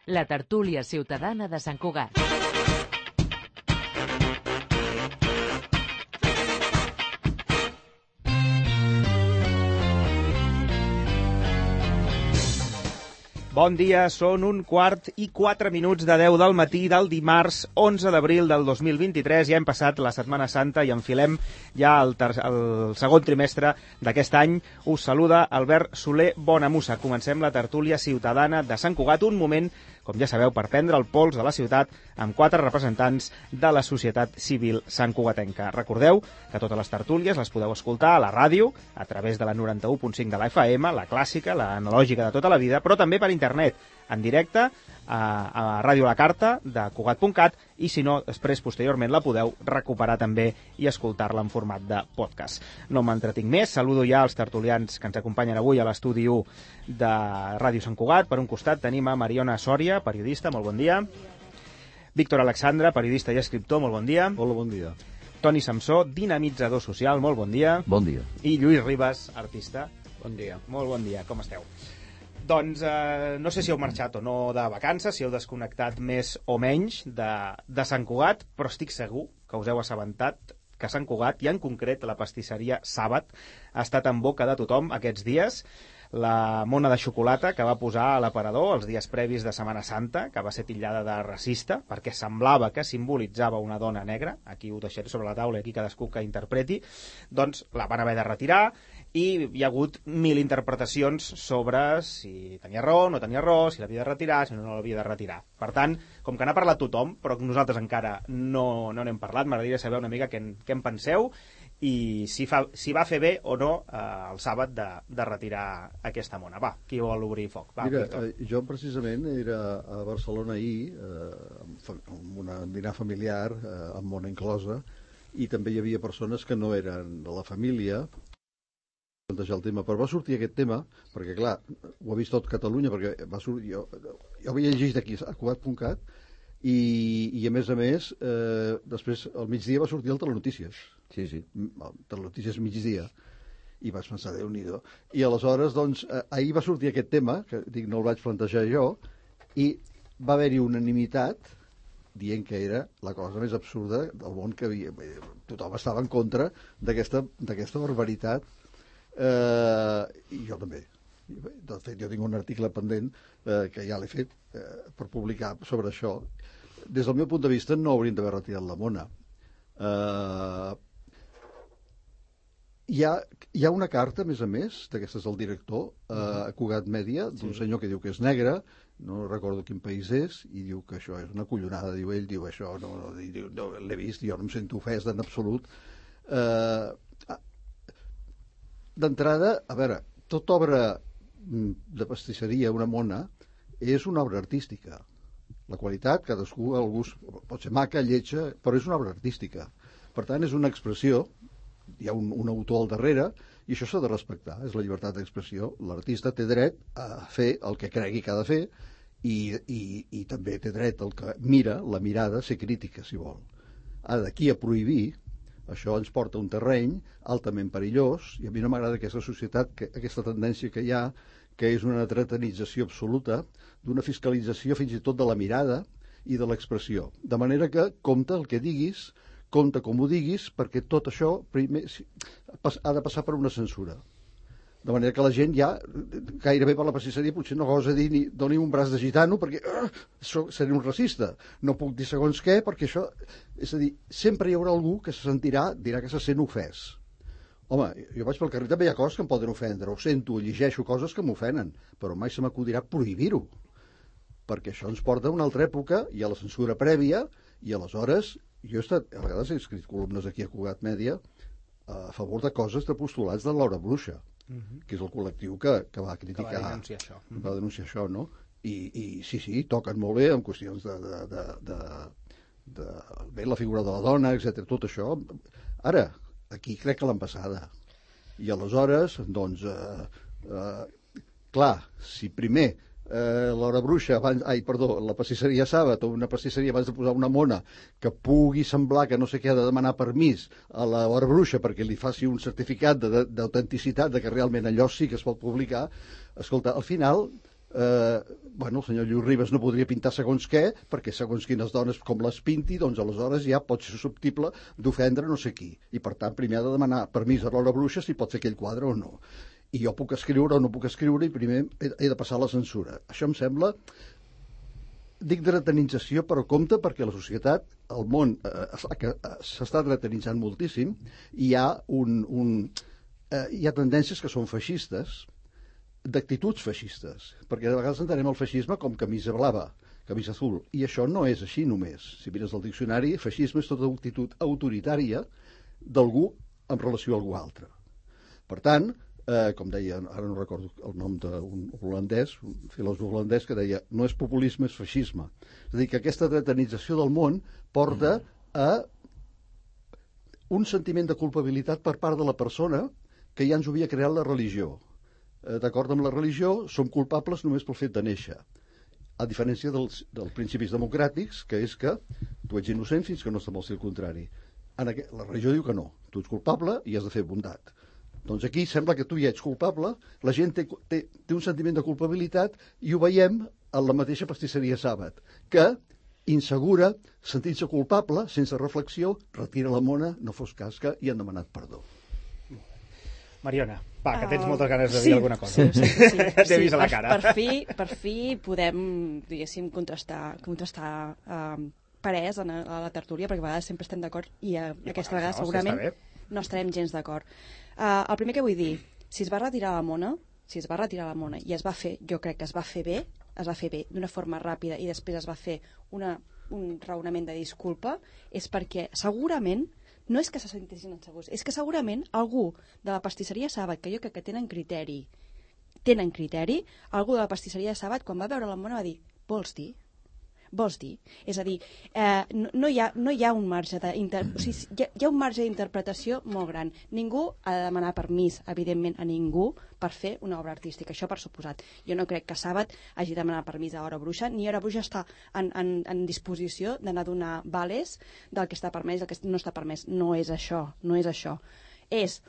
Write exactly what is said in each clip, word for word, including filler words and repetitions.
la tertúlia ciutadana de Sant Cugat. Bon dia, són un quart i quatre minuts de deu del matí del dimarts onze d'abril del dos mil vint-i-tres. Ja hem passat la Setmana Santa i enfilem ja el, ter el segon trimestre d'aquest any. Us saluda Albert Soler Bonamussa. Comencem la tertúlia ciutadana de Sant Cugat, un moment, com ja sabeu, per prendre el pols de la ciutat amb quatre representants de la societat civil santcugatenca. Recordeu que totes les tertúlies les podeu escoltar a la ràdio, a través de la noranta-u punt cinc de la F M, la clàssica, la analògica de tota la vida, però també per internet, en directe, a, a Ràdio La Carta de Cugat punt cat, i si no, després, posteriorment, la podeu recuperar també i escoltar-la en format de podcast. No m'entretinc més, saludo ja els tertulians que ens acompanyen avui a l'estudi u de Ràdio Sant Cugat. Per un costat tenim a Mariona Sòria, periodista, molt bon dia. Víctor Alexandre, periodista i escriptor, molt bon dia. Hola, bon dia. Toni Samsó, dinamitzador social, molt bon dia. Bon dia. I Lluís Ribas, artista. Bon dia. Molt bon dia, com esteu? Doncs eh, no sé si heu marxat o no de vacances, si heu desconnectat més o menys de, de Sant Cugat, però estic segur que us heu assabentat que Sant Cugat, i en concret la pastisseria Sàbat, ha estat en boca de tothom aquests dies. La mona de xocolata que va posar a l'aparador els dies previs de Setmana Santa, que va ser titllada de racista, perquè semblava que simbolitzava una dona negra, aquí ho deixaré sobre la taula i aquí cadascú que interpreti, doncs la van haver de retirar, i hi ha hagut mil interpretacions sobre si tenia raó, no tenia raó, si l'havia de retirar, si no, no l'havia de retirar. Per tant, com que n'ha parlat tothom, però nosaltres encara no no n'hem parlat, m'agradaria saber una mica què en, què en penseu i si, fa, si va fer bé o no eh, el Sàbat de, de retirar aquesta mona. Va, qui vol obrir foc? Va, Mira, eh, jo precisament era a Barcelona ahir, eh, amb un dinar familiar, eh, amb mona inclosa, i també hi havia persones que no eren de la família, plantejar el tema, però va sortir aquest tema, perquè clar, ho ha vist tot Catalunya, perquè va sortir, jo, jo havia llegit aquí a Cugat punt cat, i, i a més a més, eh, després al migdia va sortir el Telenotícies. Sí, sí, el Telenotícies migdia. I vaig pensar, Déu-n'hi-do. I aleshores, doncs, eh, ahir va sortir aquest tema, que dic, no el vaig plantejar jo, i va haver-hi unanimitat dient que era la cosa més absurda del món que havia. Tothom estava en contra d'aquesta d'aquesta barbaritat. Eh, I jo també. De fet, jo tinc un article pendent eh, que ja l'he fet eh, per publicar sobre això. Des del meu punt de vista no haurien d'haver retirat la mona. Eh, hi, ha, hi ha una carta, a més a més, d'aquestes del director, eh, a Cugat Mèdia, d'un sí. senyor que diu que és negre, no recordo quin país és, i diu que això és una collonada. Diu ell, diu això, no, no, diu, no l'he vist, jo no em sento ofès en absolut. Eh, D'entrada, a veure, tota obra de pastisseria, una mona, és una obra artística. La qualitat, cadascú, el gust, pot ser maca, lletja, però és una obra artística. Per tant, és una expressió, hi ha un, un autor al darrere, i això s'ha de respectar, és la llibertat d'expressió. L'artista té dret a fer el que cregui que ha de fer, i, i, i també té dret el que mira, la mirada, a ser crítica, si vol. Ara, d'aquí a prohibir, això ens porta a un terreny altament perillós, i a mi no m'agrada aquesta societat, que, aquesta tendència que hi ha, que és una entretenització absoluta, d'una fiscalització fins i tot de la mirada i de l'expressió. De manera que compta el que diguis, compta com ho diguis, perquè tot això primer ha de passar per una censura. De manera que la gent ja, gairebé per la pastisseria, potser no gosa dir ni doni un braç de gitano perquè uh, seré un racista. No puc dir segons què perquè això... És a dir, sempre hi haurà algú que se sentirà, dirà que se sent ofès. Home, jo vaig pel carrer, també hi ha coses que em poden ofendre, ho sento, llegeixo coses que m'ofenen, però mai se m'acudirà prohibir-ho. Perquè això ens porta a una altra època, hi ha la censura prèvia, i aleshores, jo he estat, a vegades he escrit columnes aquí a Cugat Mèdia a favor de coses de postulats de Laura Bruixa, Uh-huh. que és el col·lectiu que, que va criticar, que va denunciar això, uh-huh. va denunciar això, no? I, i sí, sí, toquen molt bé en qüestions de, de, de, de, de bé, la figura de la dona, etcètera. Tot això. Ara, aquí crec que l'han passada. I aleshores, doncs, eh, eh, clar, si primer eh, l'hora bruixa, abans, ai, perdó, la pastisseria Sàbat o una pastisseria abans de posar una mona que pugui semblar que no sé què ha de demanar permís a l'hora bruixa perquè li faci un certificat d'autenticitat de, de que realment allò sí que es pot publicar, escolta, al final eh, bueno, el senyor Lluís Ribas no podria pintar segons què, perquè segons quines dones com les pinti, doncs aleshores ja pot ser susceptible d'ofendre no sé qui. I per tant, primer ha de demanar permís a l'Hora Bruixa si pot fer aquell quadre o no. I jo puc escriure o no puc escriure i primer he, he de passar la censura. Això em sembla, dic dretenització, però compte perquè la societat, el món, eh, s'està dretenitzant moltíssim i hi ha, un, un, eh, hi ha tendències que són feixistes, d'actituds feixistes, perquè de vegades entenem el feixisme com camisa blava, camisa azul, i això no és així només. Si mires el diccionari, feixisme és tota actitud autoritària d'algú en relació a algú altre. Per tant, eh, com deia, ara no recordo el nom d'un holandès, un filòsof holandès que deia, no és populisme, és feixisme. És a dir, que aquesta dretenització del món porta a un sentiment de culpabilitat per part de la persona que ja ens havia creat la religió. D'acord amb la religió, som culpables només pel fet de néixer, a diferència dels, dels principis democràtics, que és que tu ets innocent fins que no es demostri el contrari. En aquest, la religió diu que no, tu ets culpable i has de fer bondat. Doncs aquí sembla que tu ja ets culpable, la gent té, té, té un sentiment de culpabilitat i ho veiem en la mateixa pastisseria Sàbat, que insegura, sentint-se culpable, sense reflexió, retira la mona, no fos cas que hi han demanat perdó. Mariona, va, que tens Uh, moltes ganes de sí, dir alguna cosa. Sí, sí, sí, T'he sí, vist a la per, cara. per, fi, per fi podem, diguéssim, contrastar, contrastar uh, parers a la tertúlia, perquè a vegades sempre estem d'acord i uh, I aquesta no, vegada si segurament està bé. no estarem gens d'acord. Uh, el primer que vull dir, si es va retirar la mona, si es va retirar la mona i es va fer, jo crec que es va fer bé, es va fer bé d'una forma ràpida i després es va fer una, un raonament de disculpa, és perquè segurament no és que se sentissin insegurs, és que segurament algú de la pastisseria Sàbat, que jo crec que tenen criteri, tenen criteri, algú de la pastisseria Sàbat, quan va veure la mona va dir, vols dir? Vols dir? És a dir, eh, no, no, hi ha, no hi ha un marge de inter... o sigui, hi, ha, hi ha un marge d'interpretació molt gran. Ningú ha de demanar permís, evidentment, a ningú per fer una obra artística, això per suposat. Jo no crec que Sàbat hagi de demanar permís a Hora Bruixa, ni Hora Bruixa està en, en, en disposició d'anar a donar vales del que està permès i del que no està permès. No és això, no és això. És,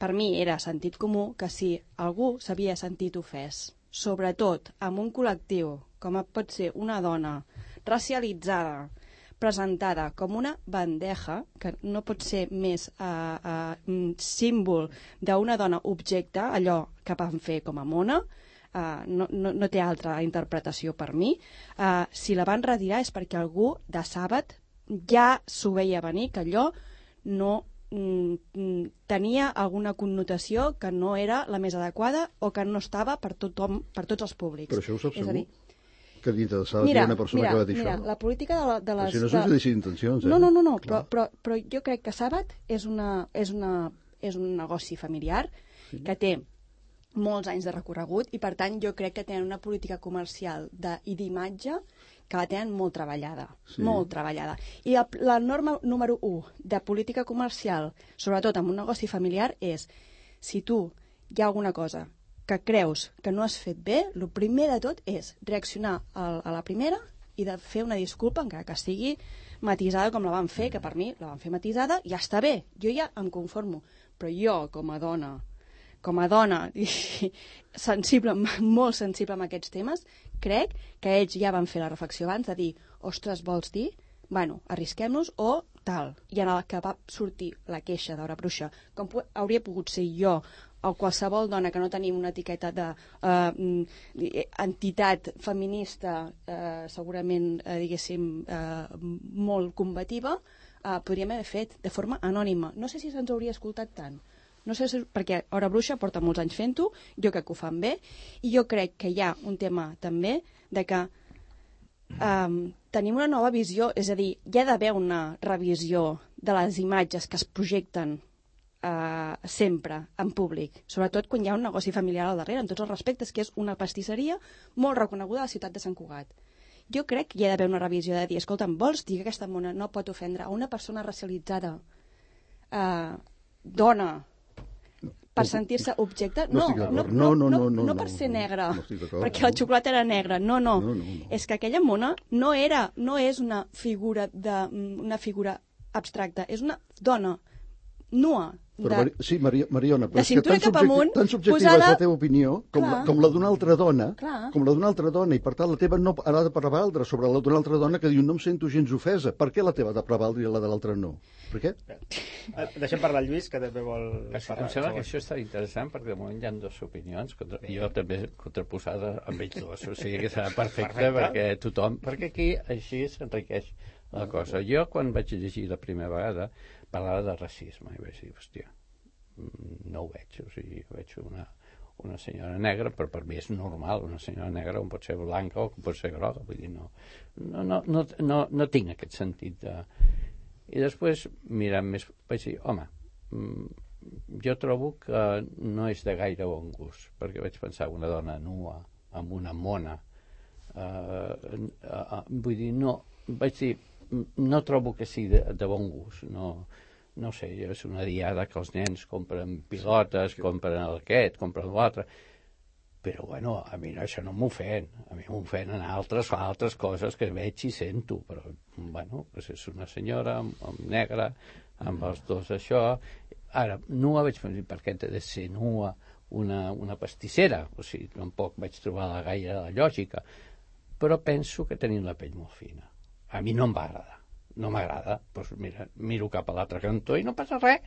per mi, era sentit comú que si algú s'havia sentit ofès, sobretot amb un col·lectiu, com pot ser una dona racialitzada, presentada com una bandeja, que no pot ser més uh, uh, símbol d'una dona objecte, allò que van fer com a mona, uh, no, no, no té altra interpretació per mi. Uh, si la van retirar és perquè algú de Sàbat ja s'ho veia venir, que allò no mm, tenia alguna connotació que no era la més adequada o que no estava per tothom, per tots els públics. Però això ho saps és segur? a dir, que dintre de Sàbat hi ha una persona mira, que va dir mira, això. la política de, la, de les... Així no són judici d'intencions, eh? No, no, no, no però, però, però jo crec que Sàbat és, una, és, una, és un negoci familiar sí. que té molts anys de recorregut i per tant jo crec que tenen una política comercial de, i d'imatge que la tenen molt treballada, sí. molt treballada. I la, la norma número u de política comercial, sobretot en un negoci familiar, és si tu hi ha alguna cosa que creus que no has fet bé, el primer de tot és reaccionar a, a la primera i de fer una disculpa, encara que sigui matisada com la van fer, que per mi la van fer matisada, ja està bé, jo ja em conformo. Però jo, com a dona, com a dona sensible, molt sensible amb aquests temes, crec que ells ja van fer la reflexió abans de dir, ostres, vols dir? Bueno, arrisquem-nos o tal. I en el que va sortir la queixa d'Hora Bruixa, com hauria pogut ser jo o qualsevol dona que no tenim una etiqueta de uh, entitat feminista uh, segurament, uh, diguéssim, uh, molt combativa, uh, podríem haver fet de forma anònima. No sé si se'ns hauria escoltat tant. No sé si, perquè Hora Bruixa porta molts anys fent-ho, jo crec que ho fan bé, i jo crec que hi ha un tema també de que um, tenim una nova visió, és a dir, hi ha d'haver una revisió de les imatges que es projecten Uh, sempre en públic, sobretot quan hi ha un negoci familiar al darrere, en tots els respectes, que és una pastisseria molt reconeguda a la ciutat de Sant Cugat. Jo crec que hi ha d'haver una revisió de dir, escolta'm, vols dir que aquesta mona no pot ofendre a una persona racialitzada, uh, dona, per sentir-se objecte? No, no, no, no, no, no, no, no per ser negra, no perquè la xocolata era negra, no, no, no, no, no. És que aquella mona no era, no és una figura de, una figura abstracta, és una dona nua, Però, de, Mari... Sí, Mari... Mariona, però de és que cintura tan, cap subjecti... amunt, tan subjectiva posada... és la teva opinió com Clar. la, com la d'una altra dona, Clar. com la d'una altra dona, i per tant la teva no ha de prevaldre sobre la d'una altra dona que diu no em sento gens ofesa. Per què la teva ha de prevaldre i la de l'altra no? Per què? Eh, Deixem parlar el Lluís, que també vol Em parlar. sembla que això està interessant perquè de moment hi ha dues opinions, contra... jo també contraposada amb ells dos, o sigui que serà perfecte, perfecte. perquè tothom, perquè aquí així s'enriqueix la cosa. Jo quan vaig llegir la primera vegada parlava de racisme i vaig dir, hòstia, no ho veig, o sigui, veig una, una senyora negra, però per mi és normal, una senyora negra on pot ser blanca o pot ser groga, vull dir, no, no, no, no, no, no tinc aquest sentit de... I després, mirant més, vaig dir, home, jo trobo que no és de gaire bon gust, perquè vaig pensar una dona nua, amb una mona, eh, eh, vull dir, no, vaig dir, no trobo que sigui de, de bon gust, no... no sé, és una diada que els nens compren pilotes, compren aquest, compren l'altre, però bueno, a mi no, això no m'ofèn, a mi m'ofenen altres, altres coses que veig i sento, però bueno, doncs és una senyora amb, amb negra, amb els dos això. Ara, nua vaig pensar, per què ha de ser nua una, una pastissera? O sigui, tampoc vaig trobar la gaire la lògica, però penso que tenim la pell molt fina. A mi no em va agradar. No m'agrada, doncs mira, miro cap a l'altre cantó i no passa res,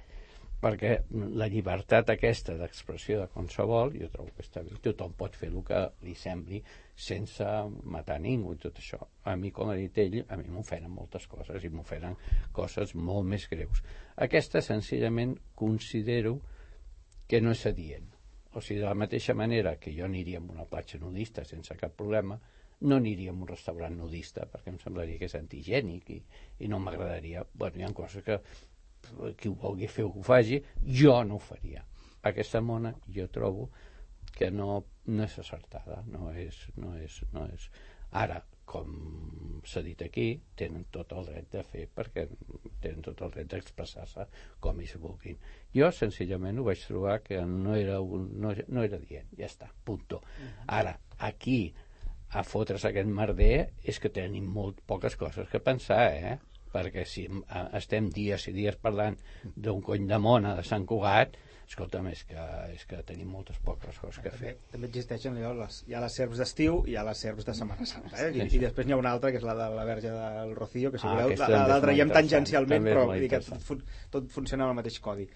perquè la llibertat aquesta d'expressió de qualsevol, jo trobo que està bé, tothom pot fer el que li sembli sense matar ningú i tot això. A mi, com ha dit ell, a mi m'ofenen moltes coses i m'ofenen coses molt més greus. Aquesta, senzillament, considero que no és adient. O sigui, de la mateixa manera que jo aniria a una platja nudista sense cap problema, no aniria a un restaurant nudista perquè em semblaria que és antigènic i, i no m'agradaria. Bueno, hi ha coses que qui ho vulgui fer ho faci, jo no ho faria. Aquesta mona jo trobo que no, no és acertada, no és, no és, no és... Ara, com s'ha dit aquí, tenen tot el dret de fer perquè tenen tot el dret d'expressar-se com ells vulguin. Jo, senzillament, ho vaig trobar que no era, un, no, no era dient, ja està, punto. Ara, aquí a fotre's aquest merder és que tenim molt poques coses que pensar, eh? Perquè si estem dies i dies parlant d'un cony de mona de Sant Cugat, escolta'm, és que, és que tenim moltes poques coses que fer. També, també existeixen les, hi ha les serps d'estiu i hi ha les serps de Setmana Santa, eh? I, i després n'hi ha una altra, que és la de la Verge del Rocío, que si ah, voleu, la, la traiem tangencialment, però que fun, tot funciona amb el mateix codi.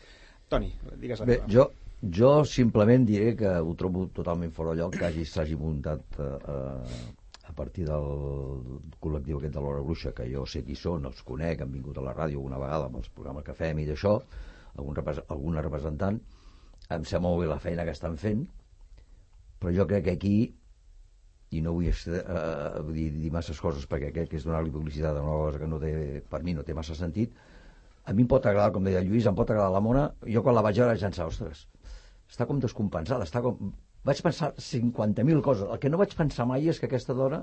Toni, digues la Bé, jo, jo simplement diré que ho trobo totalment fora de lloc que hagi, s'hagi muntat eh, a partir del col·lectiu aquest de l'Hora Bruixa, que jo sé qui són, els conec, han vingut a la ràdio una vegada amb els programes que fem i d'això, algun repres alguna representant, em sembla molt bé la feina que estan fent, però jo crec que aquí, i no vull eh, dir, dir masses coses perquè crec que és donar-li publicitat a una cosa que no té, per mi no té massa sentit, a mi em pot agradar, com deia el Lluís, em pot agradar la mona, jo quan la vaig veure vaig pensar, ostres, està com descompensada, està com... Vaig pensar cinquanta mil coses. El que no vaig pensar mai és que aquesta dona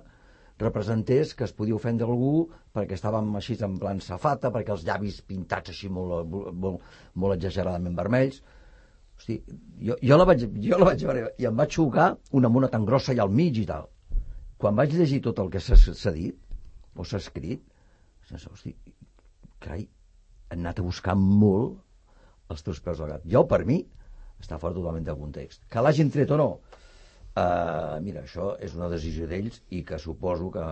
representés que es podia ofendre algú perquè estàvem així en plan safata, perquè els llavis pintats així molt, molt, molt exageradament vermells. Hosti, jo, jo, la vaig, jo la vaig veure i em va xocar una mona tan grossa allà al mig i tal. Quan vaig llegir tot el que s'ha dit o s'ha escrit, hosti, carai, han anat a buscar molt els teus peus al gat. Jo, per mi, està fora totalment del context. Que l'hagin tret o no? Uh, mira, això és una decisió d'ells i que suposo que,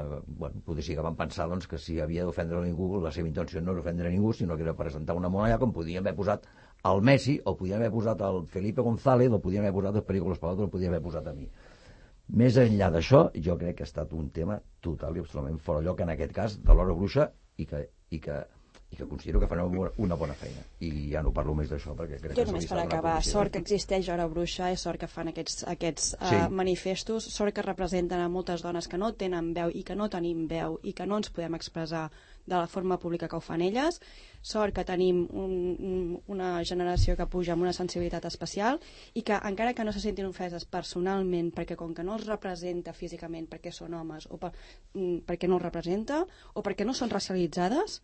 bueno, potser sí que van pensar doncs, que si havia d'ofendre ningú, la seva intenció no era ofendre ningú, sinó que era presentar una mona allà com podien haver posat el Messi, o podien haver posat el Felipe González, o podien haver posat el Perico Palau, o podien haver posat a mi. Més enllà d'això, jo crec que ha estat un tema total i absolutament fora lloc, en aquest cas, de l'Hora Bruixa, i que, i que i que considero que fan una bona feina. I ja no parlo més d'això perquè crec jo que... Jo només per acabar, sort que existeix Hora Bruixa, és sort que fan aquests, aquests sí. uh, manifestos, sort que representen a moltes dones que no tenen veu i que no tenim veu i que no ens podem expressar de la forma pública que ho fan elles, sort que tenim un, un, una generació que puja amb una sensibilitat especial i que encara que no se sentin ofeses personalment perquè com que no els representa físicament perquè són homes o per, mm, perquè no els representa o perquè no són racialitzades,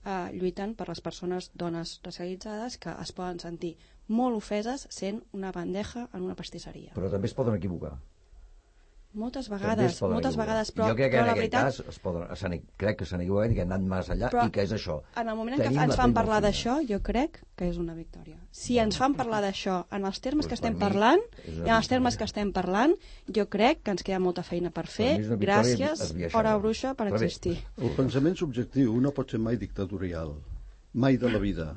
Uh, lluiten per les persones dones racialitzades que es poden sentir molt ofeses sent una bandeja en una pastisseria. Però també es poden equivocar. Moltes També vegades, es poden moltes equivocar. vegades, però, jo crec que però en la aquest veritat... cas es poden, s'han, crec que s'han equivocat i que han anat més enllà Però i que és això. En el moment en Tenim què ens la fan pell parlar molt d'això, jo crec que és una victòria. Si ens fan parlar d'això en els termes Pues que estem per mi parlant, és una i en els termes victòria. que estem parlant, jo crec que ens queda molta feina per fer. mi és una victòria Gràcies, esbiaixada. Hora Bruixa, per Però bé. existir. El pensament subjectiu no pot ser mai dictatorial, mai de la vida.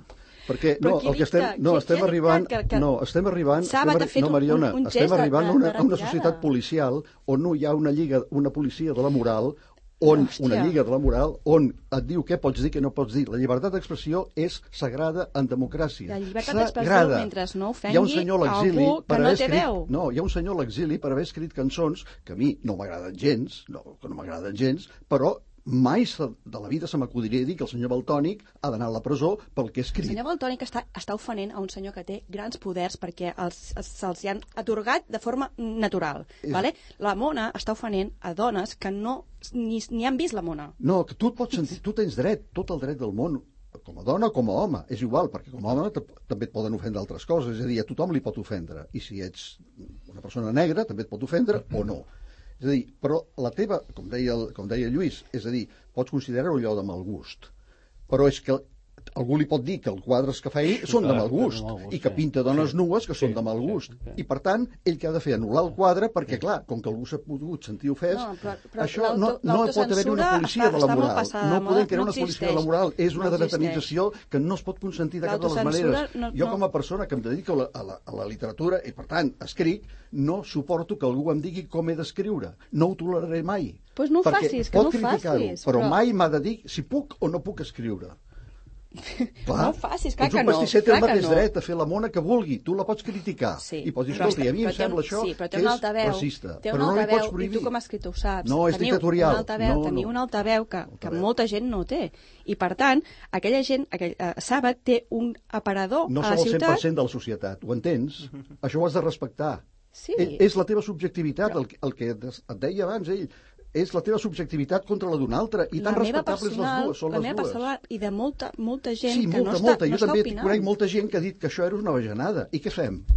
Perquè Però no, qui el que dicta? estem, no, Qui- estem qui ha arribant, dictat que- que- no, estem arribant, Sàbat estem, ha fet no, un- Mariona, un estem gest de- arribant a de- una, de a una retirada. societat policial on no hi ha una lliga, una policia de la moral, on Hòstia. una lliga de la moral, on et diu què pots dir, què no pots dir. La llibertat d'expressió és sagrada en democràcia. La llibertat d'expressió, Sagrada. mentre no ofengui Hi ha un senyor a l'exili algú que per no haver té escrit, veu. no, hi ha un senyor a l'exili per haver escrit cançons que a mi no m'agraden gens, no, que no m'agraden gens, però mai se, de la vida se m'acudiria dir que el senyor Valtònic ha d'anar a la presó pel que ha El escrit. senyor Valtònic està, està ofenent a un senyor que té grans poders perquè els, els, se'ls hi han atorgat de forma natural. És- Vale? La Mona està ofenent a dones que no ni, ni han vist la Mona. No, que tu et pots sentir, tu tens dret, tot el dret del món, com a dona o com a home, és igual, perquè com a home te- també et poden ofendre altres coses, és a dir, a tothom li pot ofendre, i si ets una persona negra també et pot ofendre o no. És a dir, però la teva, com deia, el, com deia Lluís, és a dir, pots considerar-ho allò de mal gust, però és que algú li pot dir que els quadres que fa ell són de mal gust, i que pinta dones nues que són de mal gust, i per tant, ell que ha de fer anul·lar el quadre, perquè clar, com que algú s'ha pogut sentir ofès, No, però- però això no, l'auto- no pot haver una l'autocensura policia està- de la està molt moral, passada de no moda, podem crear no una policia de la existeix. moral, és una No dretanització que no es pot consentir de cap de les L'autocensura maneres. no- Jo no- com a persona que em dedico a la, a la, a la literatura i per tant escric, no suporto que algú em digui com he d'escriure, no ho toleraré mai. Pues no ho Perquè facis, que pot no ho criticar-ho, facis, però, però- mai m'ha de dir si puc o no puc escriure. Clar, No ho facis, clar ets un que no, pastisser, té clar el que mateix no. dret a fer la mona que vulgui, tu la pots criticar Sí, i pots dir, però escolta, i a mi està- em però té un- sembla això sí, però té que una és altaveu, racista, té però una no li altaveu, pots prohibir. I tu com a escriptor ho saps. No, és teniu dictatorial. un altaveu, No, teniu no. un altaveu que, que Altaveu. molta gent no té. I per tant, aquella gent, aquell, eh, Sàbat té un aparador No a sou la el cent ciutat. per cent de la societat, ho entens? Això ho has de respectar. Sí. Ell, és la teva subjectivitat, el, que- el que et et deia abans ell, és la teva subjectivitat contra la d'un altre, i la tan meva respectables les personal, dues, són la les meva dues. personal i de molta, molta gent Sí, que molta, no està, molta. no Jo està també opinant. conec molta gent que ha dit que això era una bajanada. I què fem? Bueno,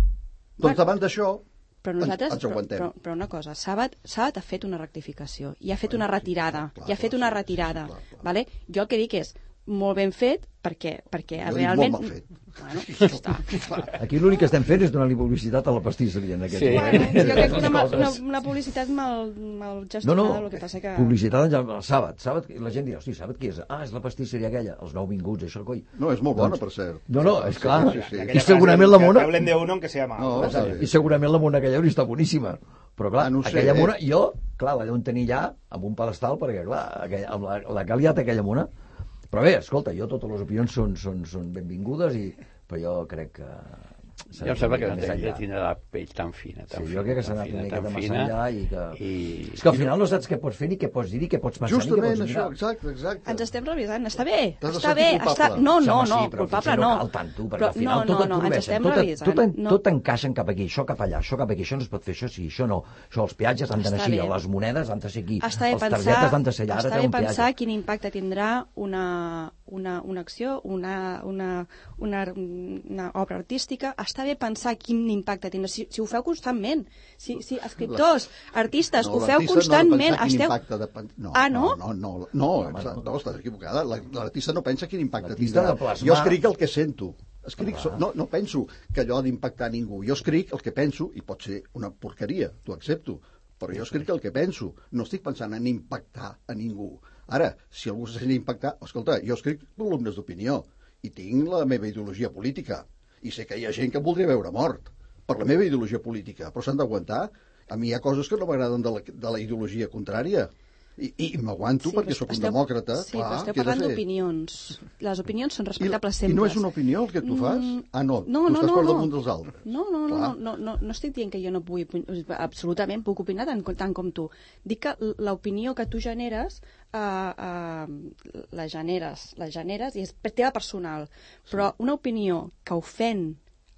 Doncs davant d'això Però nosaltres, ens, ens aguantem. però, però, però una cosa, Sàbat, Sàbat ha fet una rectificació i ha fet Bueno, una sí, retirada, clar, i ha fet clar, una sí, retirada, sí, clar, clar. vale? Jo el que dic és molt ben fet perquè, perquè Jo dic realment... molt mal fet. Bueno, ja està. Aquí l'únic que estem fent és donar-li publicitat a la pastisseria en aquest Sí. moment. Bueno, jo crec que una, ma- una, una publicitat mal, mal No, gestionada, no, el que passa que... publicitat en el Sàbat. Sàbat, la gent dirà, hosti, Sàbat qui és? Ah, és la pastisseria aquella, els nouvinguts, això, coi. No, és molt bona, Doncs- per cert. No, no, és clar. Sí, sí, sí. I segurament la mona... Que hablen de uno aunque sea malo. No, està bé. I segurament la mona aquella hauria estat boníssima. Però clar, Ah, no ho sé, aquella eh? mona, jo, clar, la deuen tenir ja amb un pedestal, perquè clar, aquella, amb la, la que ha liat aquella mona... Però bé, escolta, jo totes les opinions són, són, són benvingudes, i, però jo crec que... s'ha Jo em de sembla anar que més ell enllà. tindrà la pell tan fina, tan Sí, fina, jo crec que s'ha tan anat una fina, miqueta tan massa fina, enllà i que... i... És que al final no saps què pots fer, ni què pots dir, ni què pots pensar, Justament ni què pots això, mirar. exacte, exacte. Ens estem revisant, està bé, T'has de està sentir bé, culpable. està... No, no, Home, no, sí, però culpable potser no. no cal tant, tu, perquè Però al final no, tot no, et no, ens prohibeixen, estem tot, et- revisant. tot, en- no. tot encaixen cap aquí, això cap allà, això cap aquí, això no es pot fer, això sí, això no, això els peatges han d'anar Està així, bé. les monedes han de ser aquí, Està bé les pensar, targetes han de ser allà, ara està té bé un pensar peatge. quin impacte tindrà una, una, una acció, una, una, una, una obra artística. Està bé pensar quin impacte tindrà. Si, si ho feu constantment, si, si escriptors, artistes, ho feu l'artista constantment, no ha de pensar quin esteu... impacte de... pen- No, Ah, no? No, no, no, no, exacte, no, estàs equivocada. La- L'artista no pensa quin impacte L'artista tindrà. ha de plasmar- Jo escric el que sento. Escric, so, no, no penso que allò ha d'impactar ningú. Jo escric el que penso, i pot ser una porqueria, t'ho accepto, però jo escric el que penso. No estic pensant en impactar a ningú. Ara, si algú se sent impactar... Escolta, jo escric columnes d'opinió i tinc la meva ideologia política. I sé que hi ha gent que em voldria veure mort per la meva ideologia política, però s'han d'aguantar. A mi hi ha coses que no m'agraden de, la, de la ideologia contrària. I, i m'aguanto sí, perquè però sóc un esteu- demòcrata. Sí, clar, però esteu què he de parlant fer? d'opinions. Les opinions són I, respectables I sempre. no és una opinió el que tu fas? Mm, Ah, no, no, tu no, estàs no, per no. damunt dels altres. No, no, no, Clar. no, no, no estic dient que jo no pugui... Absolutament puc opinar tant, tant com tu. Dic que l'opinió que tu generes, eh, eh, la generes, la generes i és teva personal. Però una opinió que ofèn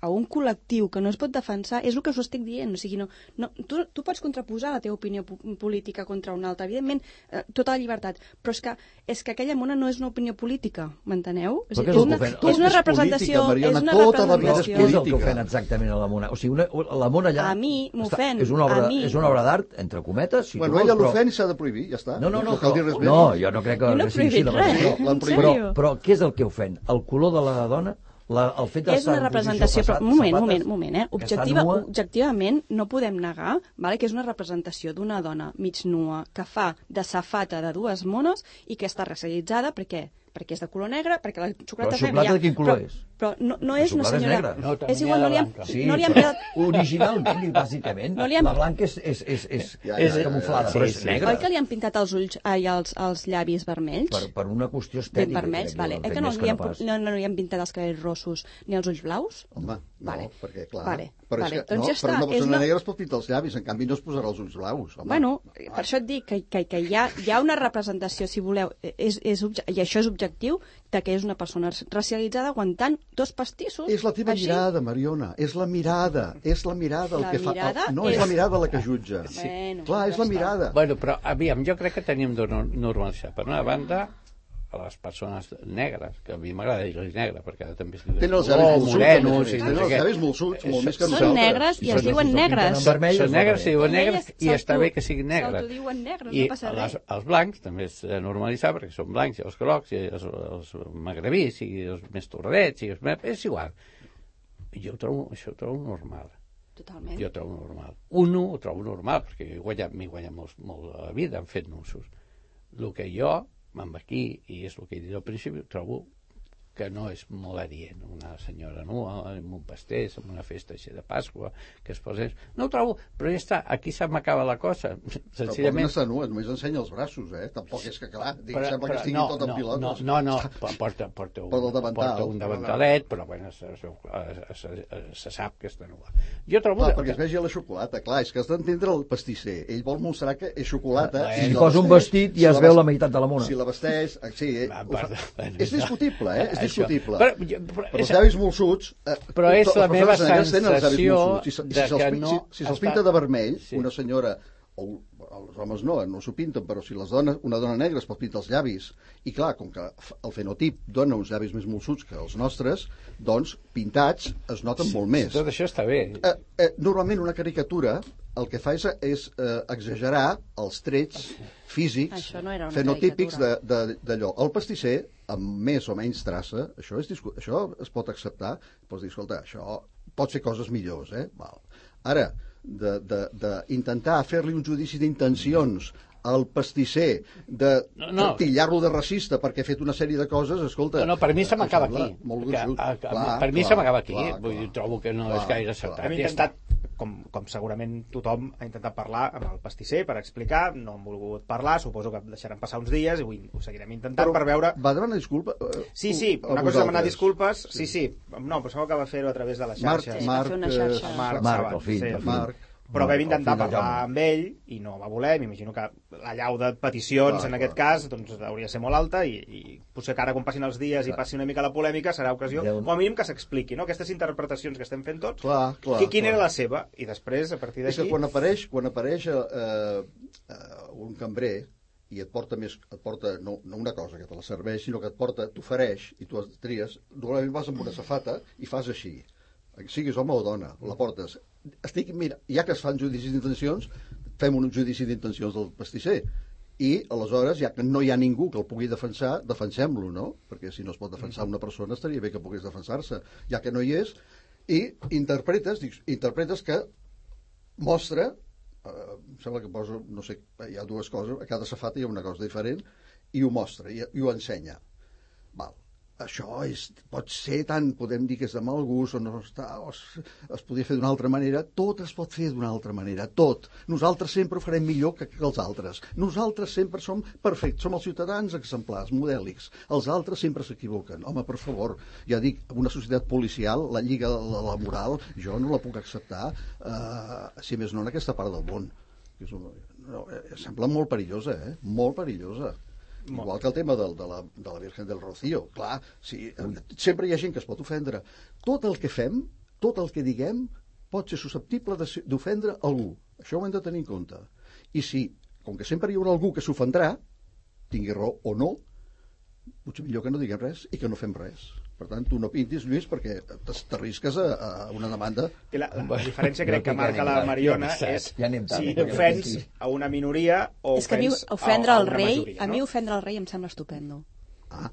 a un col·lectiu que no es pot defensar, és el que us estic dient. O sigui, no, no, tu, tu pots contraposar la teva opinió política contra una altra, evidentment, eh, tota la llibertat, però és que, és que aquella mona no és una opinió política, m'enteneu? És, és, una, és una representació... Mariona, és una tota la vida és representació. Què és el que ofèn exactament a la mona? O sigui, una, la mona allà... A mi m'ofèn, És una obra, a mi. és una obra d'art, entre cometes, si Bueno, tu vols, ella però... l'ofèn i s'ha de prohibir, ja està. No, no, no, cal dir però, res més. no, jo no crec que Jo no he sigui així. prohibit de res, veritat. l'han en prohibit. Però, sèrio. però què és el que ofèn? El color de la dona? La, el fet de És una representació, però un moment, un moment, un moment, eh? Objectiva, objectivament no podem negar, vale, que és una representació d'una dona mig nua que fa de safata de dues mones i que està racialitzada, per què? Perquè és de color negre, perquè la xocolata... Però la xocolata de quin color però, és? Però no, no La és una xocolata és senyora... negra. No, també és igual, hi ha no li han, blanca. Sí, no li han però pegat... originalment i bàsicament, No li han- la blanca és, és, és, és, Ja, és ja, ja, camuflada, ja, però sí, és sí. negra. Oi que li han pintat els ulls ai, els, els llavis vermells? Per, per una qüestió Ben estètica. vermells, crec, vale. ho Eh han que fet no més li, han, pas. no, no li han pintat els cabells rossos ni els ulls blaus? Home, no, Vale. perquè clar... Vale, Però, vale, és que, doncs no, ja està, però una és persona una- negra es pot pintar els llavis, en canvi no es posarà els ulls blaus. Home. Bueno, per això et dic que, que, que hi, ha, hi ha una representació, si voleu, és, és, obje- i això és objectiu, de que és una persona racialitzada aguantant dos pastissos. És la teva així. mirada, Mariona, és la mirada, és la mirada el La que fa... mirada no, és... és- la mirada la que jutja. Sí. Bueno, Clar, és ja la està. mirada. Bueno, però, aviam, jo crec que tenim de no- normalitzar. Per una banda, a les persones negres, que a mi m'agrada dir-los negre, perquè ara també es diuen Tenen els llavis oh, molsuts, morenos i tenen no sé els què. llavis molsuts, molt més que Són nosaltres. negres i es Són- diuen són negres. pintant en vermell, Són es negres, va si bé. diuen negres, Elles i està s'auto- bé que siguin negres. s'autodiuen negres, I no passa les, res. els blancs també és de normalitzar, perquè són blancs, i els grocs, i els, els magrebís, i els més torradets, i els més... És igual. Jo ho trobo, això ho trobo normal. Totalment. Jo ho trobo normal. Uno ho trobo normal, perquè m'he guanyat, m'he guanyat molt, molt de la vida en fet nusos. El que jo, amb aquí, i és el que he dit al principi, trobo que no és molt adient una senyora nua amb un pastís, amb una festa així de Pasqua, que es posa... No ho trobo, però ja està, aquí se m'acaba la cosa. Però Senzillament... no està nua, només ensenya els braços, eh? Tampoc és que, clar, dic, Però- sembla però que estigui no, tot en no, pilotes. No, no, no, porta, porta, un, Porta el davantal. porta un davantalet, però bueno, se, se, se, se sap que està nua. Jo trobo... Clar, perquè es vegi la xocolata, clar, és que has d'entendre el pastisser. Ell vol mostrar que és xocolata. Bueno. Si la posa un vesteix, vestit ja es la veu ves- la meitat de la mona. Si la vesteix... eh, Sí, eh, Va, ho fa- perdó, bueno, és discutible, eh? És això. discutible. Però, jo- però, Però els és- llavis molsuts... Eh, Però és les la meva persones negres tenen els llavis sensació molsuts. I, se- i de si se'ls que pin- no si, si se'ls està- pinta de vermell, Sí. una senyora, o els homes no, no s'ho pinten, però si les dones, una dona negra es pot pintar els llavis, i clar, com que f- el fenotip dona uns llavis més molsuts que els nostres, doncs pintats es noten molt més. Tot això està bé. Eh, eh, normalment una caricatura el que fa és, és eh, exagerar els trets físics, Això no era una fenotípics de- caricatura. de- d'allò. El pastisser, amb més o menys traça, això, és, discu- això es pot acceptar, pots dir, escolta, això pot fer coses millors, eh? Val. Ara, d'intentar fer-li un judici d'intencions al pastisser, de No, no. tillar-lo de racista perquè ha fet una sèrie de coses, escolta... No, no, per mi se em m'acaba sembla aquí. Molt Que, gruixut. a, a, Clar, per mi clar, se m'acaba aquí. clar, Vull dir, clar. trobo que no Clar, és gaire clar. acceptat. Hem Ja està. intentat, com, com segurament tothom ha intentat parlar amb el pastisser per explicar, no han volgut parlar, suposo que deixaran passar uns dies i avui ho seguirem intentant per veure... Va demanar disculpa? eh, Sí, sí, a una cosa és demanar vosaltres. disculpes, sí, sí, no, però sembla que va fer-ho a través de les Marc, xarxes. Sí, va Marc, fer una eh, xarxa. Marc, Marc, Sabat, el fill, sí. el fill. Marc. Però vam Marc, intentar el fill de parlar Jaume. amb ell i no va voler, m'imagino que la llau de peticions Clar, en aquest clar. cas doncs, hauria de ser molt alta i, i potser que ara quan passin els dies i passi una mica la polèmica serà ocasió, Déu- com a mínim que s'expliqui, no? Aquestes interpretacions que estem fent tots, Clar, clar, qui, quina clar. era la seva? I després, a partir És que d'aquí... quan apareix, quan apareix eh, eh, un cambrer i et porta més, et porta no, no una cosa que te la serveix, sinó que et porta, t'ofereix i tu et tries, normalment vas amb una safata i fas així, siguis home o dona, la portes. Estic, mira, ja que es fan judicis d'intencions, fem un judici d'intencions del pastisser. I aleshores, ja que no hi ha ningú que el pugui defensar, defensem-lo, no? Perquè si no es pot defensar una persona estaria bé que pogués defensar-se, ja que no hi és, i interpretes, dic, interpretes que mostra, eh, em sembla que poso, no sé, hi ha dues coses, a cada safata hi ha una cosa diferent, i ho mostra, i, i ho ensenya. Val. Això és, pot ser tant, podem dir que és de mal gust o no està, o es, es podria fer d'una altra manera, tot es pot fer d'una altra manera, tot. Nosaltres sempre ho farem millor que, que els altres. Nosaltres sempre som perfectes, som els ciutadans exemplars, modèlics. Els altres sempre s'equivoquen. Home, per favor, ja dic, una societat policial, la lliga la, la moral, jo no la puc acceptar, eh, si més no en aquesta part del món. És un, no, eh, sembla molt perillosa, eh? Molt perillosa. Igual que el tema del, de, la, de la Virgen del Rocío. Clar, sí, sempre hi ha gent que es pot ofendre. Tot el que fem, tot el que diguem pot ser susceptible d'ofendre algú. Això ho hem de tenir en compte. I si, com que sempre hi haurà algú que s'ofendrà, tingui raó o no, potser millor que no diguem res i que no fem res. Per tant, tu no pintis, Lluís, perquè t'arrisques a, a una demanda. I la, la diferència crec que marca la Mariona és ja si ofens a una minoria o és que a mi ofens ofendre a, a el una rei, majoria. a No? mi ofendre el rei em sembla estupendo. Ah,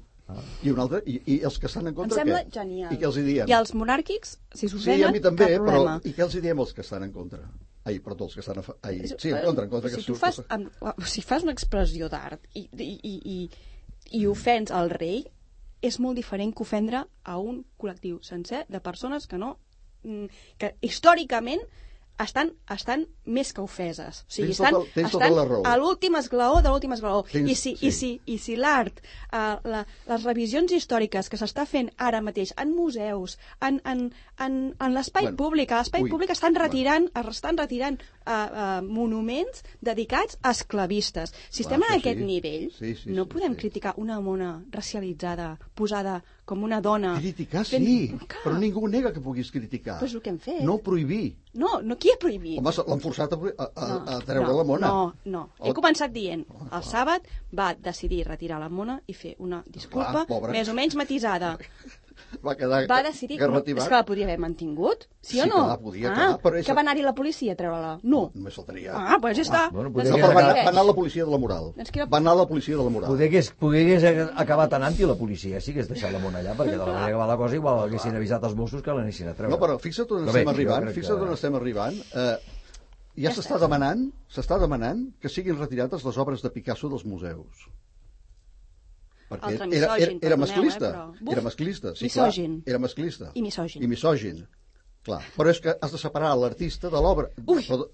I, un altre, i, i els que estan en Em contra, sembla què? genial. I què els hi diem? I els monàrquics, si Sí, s'ofenen, a mi també, cap però problema. i què els hi diem els que estan en contra? Ai, perdó, els que estan a fa... Ai, sí, en contra, en contra. Si que tu surt- fas, amb, si fas una expressió d'art i, i, i, i, i ofens el rei, és molt diferent que ofendre a un col·lectiu sencer de persones que no... que històricament estan, estan més que ofeses. O sigui, Tens tota- estan, tens tota estan la raó. a l'últim esglaó de l'últim esglaó. Tens- I si, sí. i si, i si l'art, eh, la, les revisions històriques que s'està fent ara mateix en museus, en, en, en, en l'espai Bueno, públic, a l'espai ui, públic estan retirant, estan retirant uh, uh, monuments dedicats a esclavistes. Si Clar, estem en això aquest sí. nivell, Sí, sí, no sí, podem sí. criticar una mona racialitzada, posada com una dona. Criticar fent- sí, Clar. però ningú nega que puguis criticar. Però és el que hem fet. No prohibir. No, no, qui ha prohibit? Home, l'han forçat a, a, a, No, a treure no, la mona. No, no. He El- començat dient, el sàbat va decidir retirar la mona i fer una disculpa Clar, pobra. més o menys matisada. Va quedar Va decidir... que No, retirat. és que la podria haver mantingut, sí, Sí o no? que la podia ah, quedar, però és- que va anar-hi la policia a treure-la. No. Només faltaria. Ah, doncs ja està. bueno, Doncs poder No, que però va, era- anar- va anar la policia de la moral. És que era- Va anar la policia de la moral. Poder hagués, poder hagués acabat anant-hi la policia, sí que hagués deixat la mona allà, perquè de la manera que va la cosa igual haguessin avisat els Mossos que l'anessin a treure. No, però fixa't on Però bé, estem jo arribant, crec fixa't que- on estem arribant. Eh, ja s'està demanant, s'està demanant que siguin retirades les obres de Picasso dels museus. Perquè Altre era, era, misògin, era perdoneu, masclista. eh, però- Buf! Era masclista, sí, Misògin. clar. Era masclista. I misògin. I misògin. Clar, però és que has de separar l'artista de l'obra. Ui! Però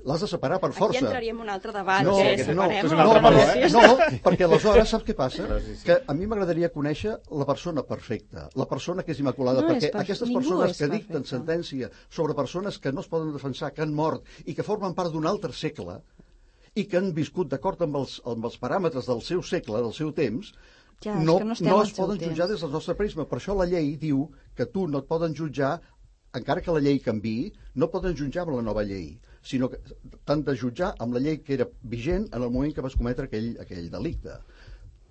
l'has de separar per força. Aquí entraríem en un altre debat. No, que no, separem és un les altre meló, relacions. No, perquè aleshores saps què passa? Que a mi m'agradaria conèixer la persona perfecta, la persona que és immaculada, No és perquè perfe- aquestes ningú persones és que dicten perfecte. sentència sobre persones que no es poden defensar, que han mort i que formen part d'un altre segle i que han viscut d'acord amb els, amb els paràmetres del seu segle, del seu temps, Ja, és no, que no estem no al es seu poden temps. jutjar des del nostre prisma. Per això la llei diu que tu no et poden jutjar, encara que la llei canviï, no poden jutjar amb la nova llei, sinó que t'han de jutjar amb la llei que era vigent en el moment que vas cometre aquell, aquell delicte.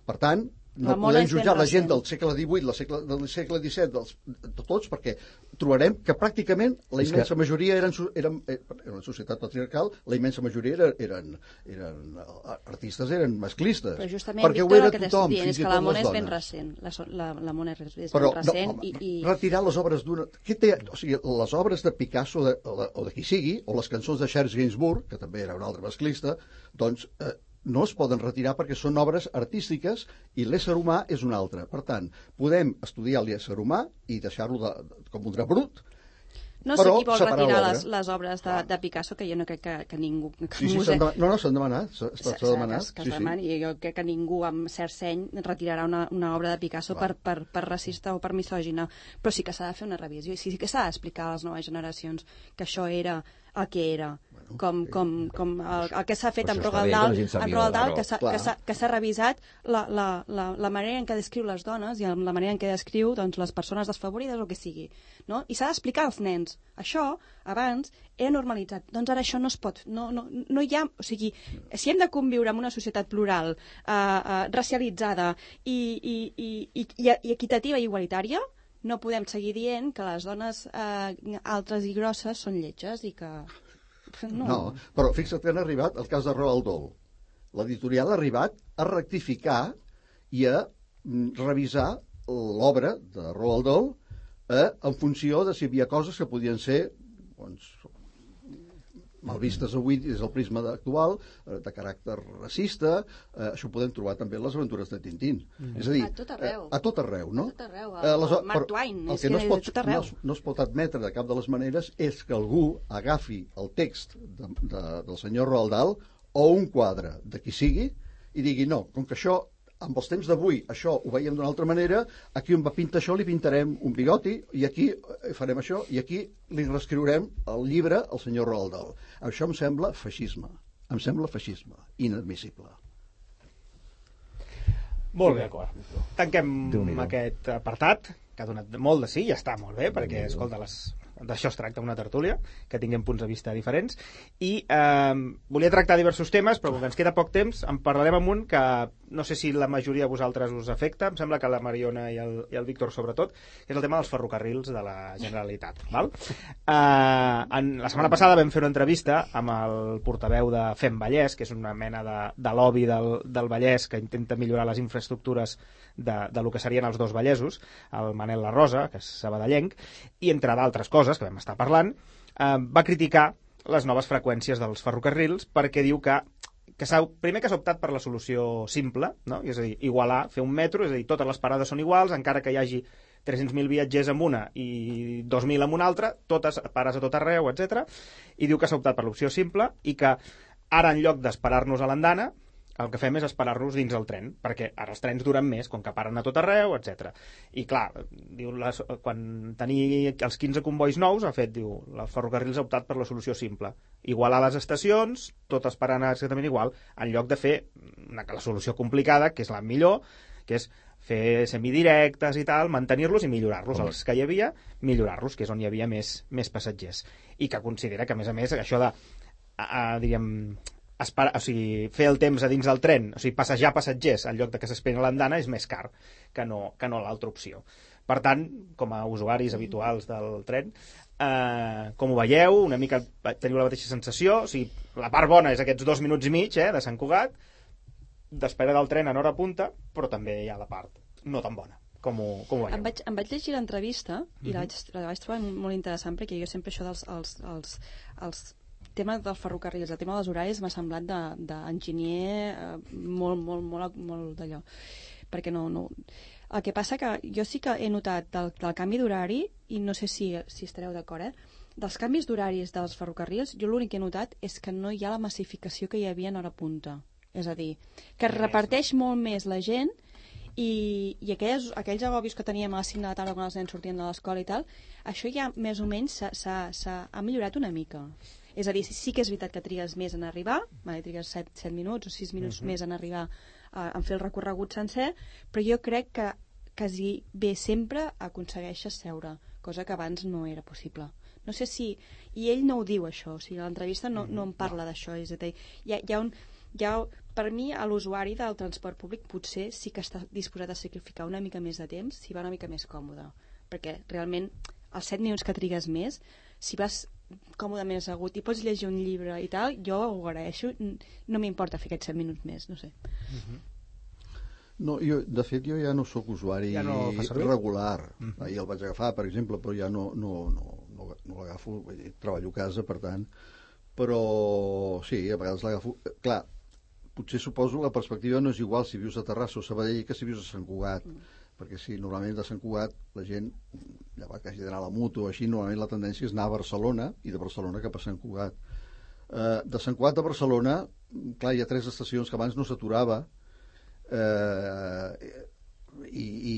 Per tant, no La mona podem és ben jutjar la gent recent. del segle divuit, la segle, del segle disset, dels, de tots, perquè trobarem que pràcticament la És que- immensa majoria eren, su- eren, eh, era una societat patriarcal, la immensa majoria eren, eren, eren artistes, eren masclistes. Però justament, perquè ho Víctor, era el que t'estic tothom, dient és fins i que tot la mona les és ben dones. recent. La, so- la, la mona és, és Però, ben recent no, i, i... retirar les obres d'una... Què té? O sigui, les obres de Picasso de, o, de, o de qui sigui, o les cançons de Charles Gainsbourg, que també era un altre masclista, doncs eh, no es poden retirar perquè són obres artístiques i l'ésser humà és un altre. Per tant, podem estudiar l'ésser humà i deixar-lo de, de, com un drap brut. No sé però qui vol separar retirar l'obra. les, les obres de, de Picasso, que jo no crec que, que ningú... Que Sí, sí, museu- s'han demanat. No, no, s'han demanat. S'ha s'ha- s'ha s'ha- demanat. que es Sí, sí. demani, i jo crec que ningú amb cert seny retirarà una, una obra de Picasso per, Clar. per, per racista o per misògina, però sí que s'ha de fer una revisió i sí que s'ha d'explicar a les noves generacions que això era el que era, Bueno, com, sí. com, com el, el que s'ha fet Però amb això està Roald bé, que Dahl, la gent sàpiga amb Roald la Dahl raó. que s'ha- Clar. que s'ha que s'ha revisat la, la, la, la manera en què descriu les dones i la manera en què descriu doncs, les persones desfavorides o el que sigui, no? I s'ha d'explicar als nens. Això, abans, era normalitzat. Doncs ara això no es pot. No, no, no hi ha... O sigui, si hem de conviure en una societat plural, eh, eh, racialitzada i, i, i, i, i equitativa i igualitària, no podem seguir dient que les dones eh, altres i grosses són lletges i que... No. No, però fixa't que han arribat al cas de Roald Dahl. L'editorial ha arribat a rectificar i a mm, revisar l'obra de Roald Dahl eh, en funció de si hi havia coses que podien ser doncs, mal vistes avui des del prisma actual, eh, de caràcter racista, eh, això ho podem trobar també en les aventures de Tintín. Mm. És a dir, A tot arreu. Eh, a tot arreu, no? A tot arreu, Eh, aleshores, el Mark però Twain, el és que no que es, pot, a tot arreu. no, es, no es pot admetre de cap de les maneres és que algú agafi el text de, de, del senyor Roald Dahl o un quadre de qui sigui i digui, no, com que això amb els temps d'avui això ho veiem d'una altra manera, aquí on va pintar això li pintarem un bigoti i aquí farem això i aquí li reescriurem el llibre al senyor Roald Dahl. Això em sembla feixisme. Em sembla feixisme. Inadmissible. Molt bé. D'acord. Tanquem Déu-n'hi-do. aquest apartat, que ha donat molt de sí, ja està molt bé, perquè, escolta, les d'això es tracta, una tertúlia, que tinguem punts de vista diferents, i eh, volia tractar diversos temes, però com ens queda poc temps, en parlarem amb un que no sé si la majoria de vosaltres us afecta, em sembla que la Mariona i el, i el Víctor sobretot, que és el tema dels ferrocarrils de la Generalitat. Val? Eh, en, la setmana passada vam fer una entrevista amb el portaveu de Fem Vallès, que és una mena de, de lobby del, del Vallès que intenta millorar les infraestructures de, de lo que serien els dos Vallesos, el Manel La Rosa, que és sabadellenc, i entre d'altres coses que vam estar parlant, eh, va criticar les noves freqüències dels ferrocarrils perquè diu que, que primer que s'ha optat per la solució simple, no? És a dir, igualar, fer un metro, és a dir, totes les parades són iguals, encara que hi hagi tres-cents mil viatgers en una i dos mil en una altra, totes pares a tot arreu, etcètera. I diu que s'ha optat per l'opció simple i que ara, en lloc d'esperar-nos a l'andana, el que fem és esperar-nos dins el tren, perquè ara els trens duren més, com que paren a tot arreu, etcètera. I clar, diu, les, quan tenia els quinze convois nous, ha fet, diu, els ferrocarrils ha optat per la solució simple. Igualar les estacions, totes parant exactament igual, en lloc de fer una, la solució complicada, que és la millor, que és fer semidirectes i tal, mantenir-los i millorar-los. Els que hi havia, millorar-los, que és on hi havia més, més passatgers. I que considera que, a més a més, això de, a, a, diríem, Espar, o sigui, fer el temps a dins del tren, o sigui, passejar passatgers en lloc de que s'esperin a l'andana és més car que no, que no l'altra opció. Per tant, com a usuaris habituals del tren, eh, com ho veieu, una mica teniu la mateixa sensació, o sigui, la part bona és aquests dos minuts i mig eh, de Sant Cugat, d'espera del tren en hora punta, però també hi ha la part no tan bona. Com ho, com ho veieu? Em vaig, em vaig llegir l'entrevista i mm-hmm. la, vaig, la vaig trobar molt interessant, perquè jo sempre això dels els, els, els tema dels ferrocarrils, el tema dels horaris m'ha semblat d'enginyer eh, molt, molt, molt, molt d'allò. Perquè no, no... El que passa que jo sí que he notat del, del canvi d'horari, i no sé si, si estareu d'acord, eh? Dels canvis d'horaris dels ferrocarrils, jo l'únic que he notat és que no hi ha la massificació que hi havia en hora punta. És a dir, que es reparteix molt més la gent i, i aquells, aquells agobis que teníem a les cinc de la tarda quan els nens sortien de l'escola i tal, això ja més o menys s'ha millorat una mica. És a dir, sí que és veritat que trigues més en arribar, vale, trigues set, set minuts o sis minuts uh-huh. més en arribar a, a fer el recorregut sencer, però jo crec que quasi bé sempre aconsegueixes seure, cosa que abans no era possible. No sé si... I ell no ho diu, això, o sigui, a l'entrevista no, no en parla d'això, és a dir, hi ha, hi ha un... Hi ha, per mi, a l'usuari del transport públic potser sí que està disposat a sacrificar una mica més de temps si va una mica més còmode, perquè realment els set minuts que trigues més, si vas còmodament assegut i pots llegir un llibre i tal, jo ho agraeixo, no m'importa fer aquests set minuts més, no sé. Uh-huh. No, jo, de fet, jo ja no sóc usuari ja no regular. Uh-huh. Ahir el vaig agafar, per exemple, però ja no, no, no, no, no l'agafo, treballo a casa, per tant, però sí, a vegades l'agafo. Clar, potser suposo la perspectiva no és igual si vius a Terrassa o Sabadell que si vius a Sant Cugat. Uh-huh. Perquè si normalment de Sant Cugat la gent, ja va que hagi d'anar a la moto o així, normalment la tendència és anar a Barcelona i de Barcelona cap a Sant Cugat. Eh, de Sant Cugat a Barcelona, clar, hi ha tres estacions que abans no s'aturava eh, i, i,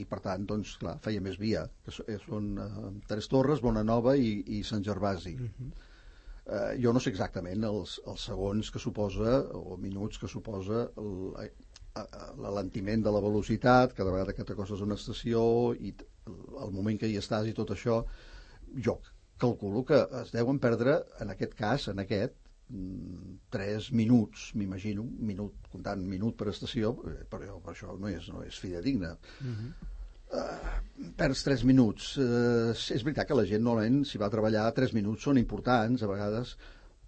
i per tant, doncs, clar, feia més via, que són eh, Tres Torres, Bonanova i, i Sant Gervasi. Uh-huh. eh, jo no sé exactament els, els segons que suposa o minuts que suposa el, l'alentiment de la velocitat cada vegada que t'acostes a una estació i el moment que hi estàs i tot això, jo calculo que es deuen perdre en aquest cas, en aquest tres minuts, m'imagino un minut, comptant minut per estació, però per això no és, no és fidedigne. Uh-huh. uh, perds tres minuts. Uh, és veritat que la gent normalment si va a treballar tres minuts són importants a vegades,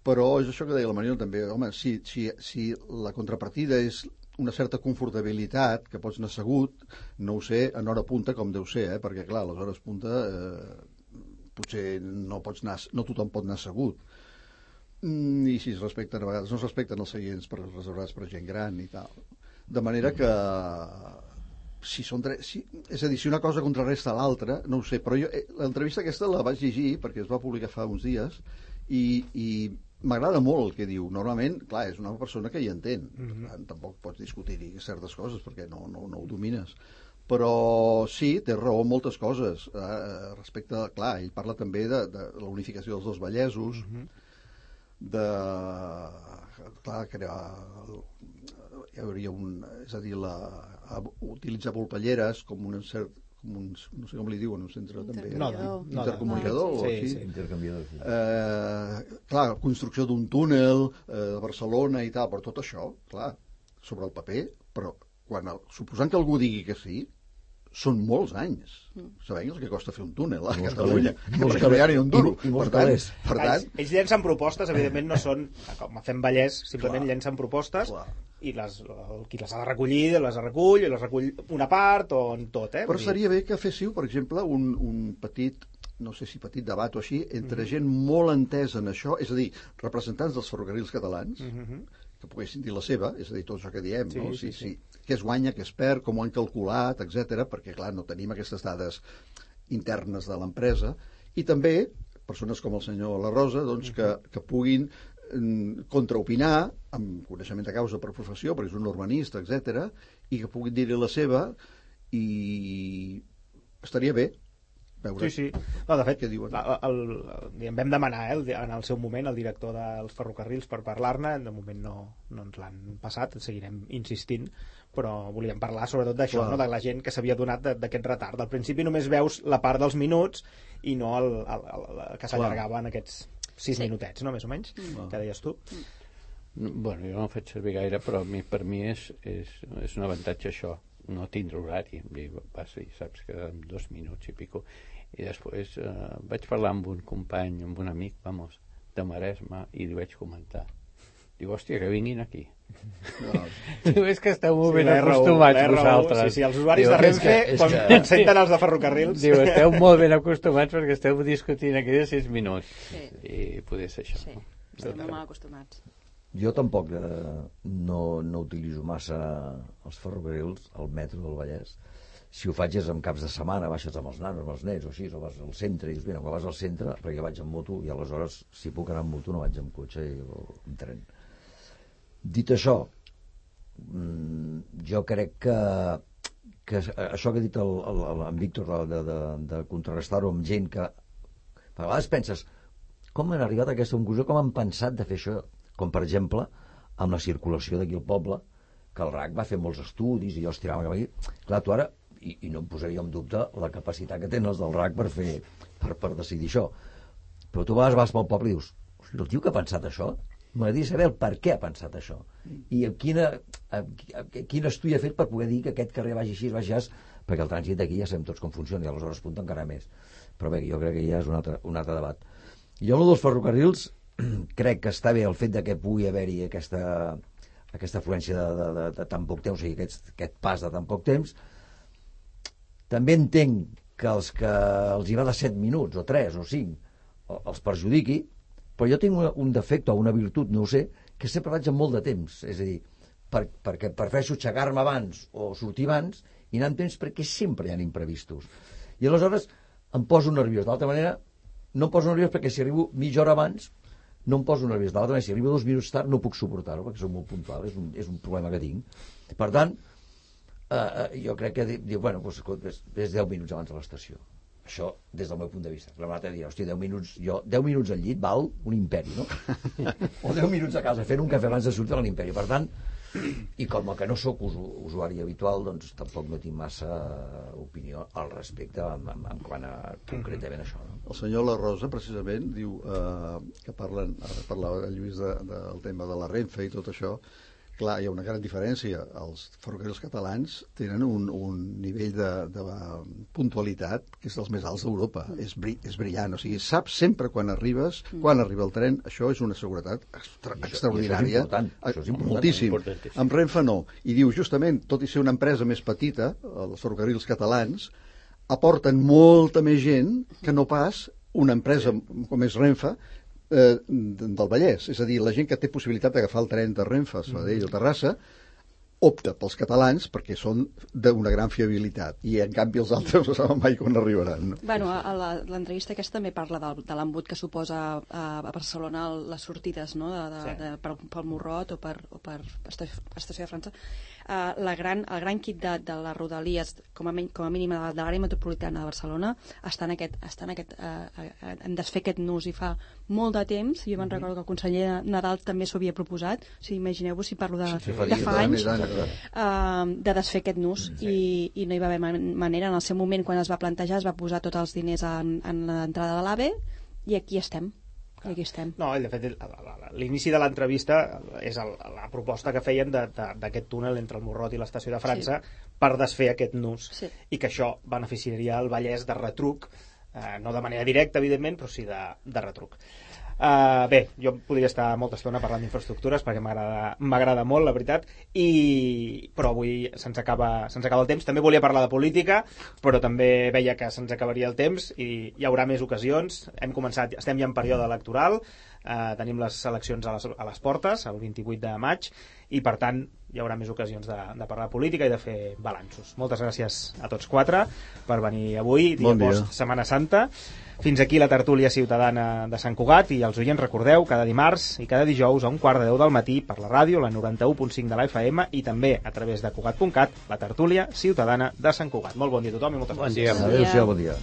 però és això que deia la Mariona també, home, si, si, si la contrapartida és una certa confortabilitat, que pots anar assegut, no ho sé, en hora punta com deu ser, eh? Perquè clar, a les hores punta eh, potser no pots anar, no tothom pot anar assegut. Mm, I si es respecten, a vegades no es respecten els seients per, reservats per gent gran i tal. De manera que si són tres, si, és a dir, si una cosa contrarresta a l'altra, no ho sé, però jo eh, l'entrevista aquesta la vaig llegir perquè es va publicar fa uns dies i, i m'agrada molt el que diu. Normalment, clar, és una persona que hi entén. Mm-hmm. Per tant, tampoc pots discutir-hi certes coses perquè no, no, no ho domines. Però sí, té raó en moltes coses. Eh, respecte, clar, ell parla també de, de la unificació dels dos Vallesos, mm-hmm. de... clar, crear... Hi hauria un... És a dir, la, utilitzar volpelleres com un cert un, no sé com li diuen, un centre també... No, no, no, intercomunicador no, o sí, així. sí. Intercanviador, sí. Eh, clar, construcció d'un túnel eh, a Barcelona i tal, però tot això, clar, sobre el paper, però quan el, suposant que algú digui que sí, són molts anys. Mm. Sabem el que costa fer un túnel a Catalunya. Molts calés. No hi ha ni un duro. I, i molts per tant, calés. per tant... Ells, ells llencen propostes, evidentment no són, com a Fem Vallès, simplement Clar. llencen propostes Clar. i les, el, qui les ha de recollir, les recull, i les recull una part o en tot, eh? Però seria bé que féssiu, per exemple, un, un petit, no sé si petit debat o així, entre mm -hmm. gent molt entesa en això, és a dir, representants dels ferrocarrils catalans, mm -hmm. que poguessin dir la seva, és a dir, tot això que diem, sí, no? Sí, sí, sí. sí. Què es guanya, què es perd, com ho han calculat, etcètera, perquè, clar, no tenim aquestes dades internes de l'empresa, i també persones com el senyor La Rosa, doncs, que, que puguin mm, contraopinar, amb coneixement de causa per professió, perquè és un urbanista, etcètera, i que puguin dir-hi la seva, i estaria bé veure Sí, sí. No, de fet, què diuen. el, el, el, vam demanar eh, en el seu moment el director dels ferrocarrils per parlar-ne, de moment no, no ens l'han passat, seguirem insistint, però volíem parlar sobretot d'això, no? De la gent que s'havia donat d'aquest retard. Al principi només veus la part dels minuts i no el, el, el, el que s'allargava en aquests sis sí. minutets, no? Més o menys, mm. que deies tu. Mm. Bueno, jo no ho faig servir gaire, però a mi, per mi és, és, és un avantatge això, no tindre horari. Passa i saps que en dos minuts i pico. I després eh, vaig parlar amb un company, amb un amic, vamos, de Maresme, i li vaig comentar. Diu, hòstia, que vinguin aquí. No. Diu, és que esteu molt sí, ben acostumats R U, vosaltres. Sí, sí, els usuaris Diu, de Renfe, és que, és quan, que... quan senten els de ferrocarrils... Diu, esteu molt ben acostumats perquè esteu discutint aquí de sis minuts. Sí. I poder ser això. Sí, no? estem molt mal acostumats. Jo tampoc eh, no, no utilitzo massa els ferrocarrils, el metro del Vallès. Si ho faig és en caps de setmana, baixes amb els nanos, amb els nens, o així, o vas al centre, i dius, mira, quan vas al centre, perquè jo vaig amb moto, i aleshores, si puc anar amb moto, no vaig amb cotxe o amb tren. Dit això, jo crec que, que això que ha dit el, el, el, en Víctor, de, de, de contrarrestar-ho amb gent que... A vegades penses, com han arribat a aquesta conclusió, com han pensat de fer això? Com, per exemple, amb la circulació d'aquí al poble, que el R A C va fer molts estudis, i jo els tirava cap aquí. Clar, tu ara... I, i no em posaria en dubte la capacitat que tenen els del R A C per fer per, per decidir això, però tu vas, vas pel poble i dius, el tio que ha pensat això m'agradaria saber el per què ha pensat això i a quina, a, a, a quin estudi ha fet per poder dir que aquest carrer vagi així, vagi així, perquè el trànsit d'aquí ja sabem tots com funciona i aleshores punta encara més, però bé, jo crec que ja és un altre, un altre debat. Jo el dels ferrocarrils crec que està bé el fet de que pugui haver-hi aquesta, aquesta afluència de, de, de, de tan poc temps, o sigui, aquest, aquest pas de tan poc temps. També entenc que els que els hi va de set minuts, o tres, o cinc, els perjudiqui, però jo tinc un defecte o una virtut, no ho sé, que sempre vaig amb molt de temps. És a dir, per, perquè prefereixo aixecar-me abans o sortir abans i anar amb temps perquè sempre hi ha imprevistos. I aleshores em poso nerviós. D'altra manera, no em poso nerviós perquè si arribo mitja hora abans, no em poso nerviós. D'altra manera, si arribo dos minuts tard, no puc suportar-ho perquè soc molt puntual. És un, és un problema que tinc. Per tant, Uh, jo crec que diu, bueno, doncs, és, és deu minuts abans de l'estació. Això, des del meu punt de vista. La veritat dir, hòstia, deu minuts, jo, deu minuts al llit val un imperi, no? O deu minuts a casa fent un cafè abans de sortir a l'imperi. Per tant, i com que no sóc usu, usuari habitual, doncs tampoc no tinc massa opinió al respecte en, en, en quant a concretament això. No? El senyor La Rosa, precisament, diu eh, que parlen, ara parlava el Lluís de, de, del tema de la Renfe i tot això. Clar, hi ha una gran diferència. Els ferrocarrils catalans tenen un, un nivell de, de puntualitat que és dels més alts d'Europa. Mm. És, bri, és brillant. O sigui, saps sempre quan arribes, mm. quan arriba el tren. Això és una seguretat extra, això, extraordinària. Això és això és important. Moltíssim. Amb Renfe no. I diu, justament, tot i ser una empresa més petita, els ferrocarrils catalans aporten molta més gent que no pas una empresa com és Renfe, Eh, del Vallès, és a dir, la gent que té possibilitat d'agafar el tren de Renfe, Sabadell o Terrassa, opta pels catalans perquè són d'una gran fiabilitat i en canvi els altres no saben mai quan arribaran, no? Bueno, a l'entrevista aquesta també parla de, de l'embut que suposa a, a Barcelona les sortides, no? de, de, sí. de, per, pel Morrot o per, o per Estació de França. Uh, la gran, el gran kit de, de les rodalies com a, com a mínim de, de l'àrea metropolitana de Barcelona està en aquest, està en aquest uh, hem de fer aquest nus i fa molt de temps, jo me'n recordo que el conseller Nadal també s'ho havia proposat, o sigui, imagineu-vos si parlo de, Sí, de fa anys, anys, uh, de desfer aquest nus, Sí. i, i no hi va haver man manera. En el seu moment, quan es va plantejar, es va posar tots els diners en, en l'entrada de l'AVE, i aquí estem. I aquí estem. No, de fet, l'inici de l'entrevista és el, la proposta que feien d'aquest túnel entre el Morrot i l'estació de França sí. per desfer aquest nus, Sí. i que això beneficiaria el Vallès de retruc, eh, no de manera directa, evidentment, però sí de, de retruc. Uh, bé, jo podria estar molta estona parlant d'infraestructures perquè m'agrada molt, la veritat, i... però avui se'ns acaba, se'ns acaba el temps. També volia parlar de política, però també veia que se'ns acabaria el temps i hi haurà més ocasions. Hem començat, estem ja en període electoral, uh, tenim les eleccions a les, a les portes, el vint-i-vuit de maig, i per tant hi haurà més ocasions de, de parlar de política i de fer balanços. Moltes gràcies a tots quatre per venir avui, dia bon post Setmana Santa. Fins aquí la tertúlia ciutadana de Sant Cugat, i els oients recordeu, cada dimarts i cada dijous a un quart de deu del matí per la ràdio, la noranta-u punt cinc de la F M, i també a través de Cugat punt cat, la tertúlia ciutadana de Sant Cugat. Molt bon dia a tothom i moltes Bon gràcies. dia. Adéu-siau, bon dia.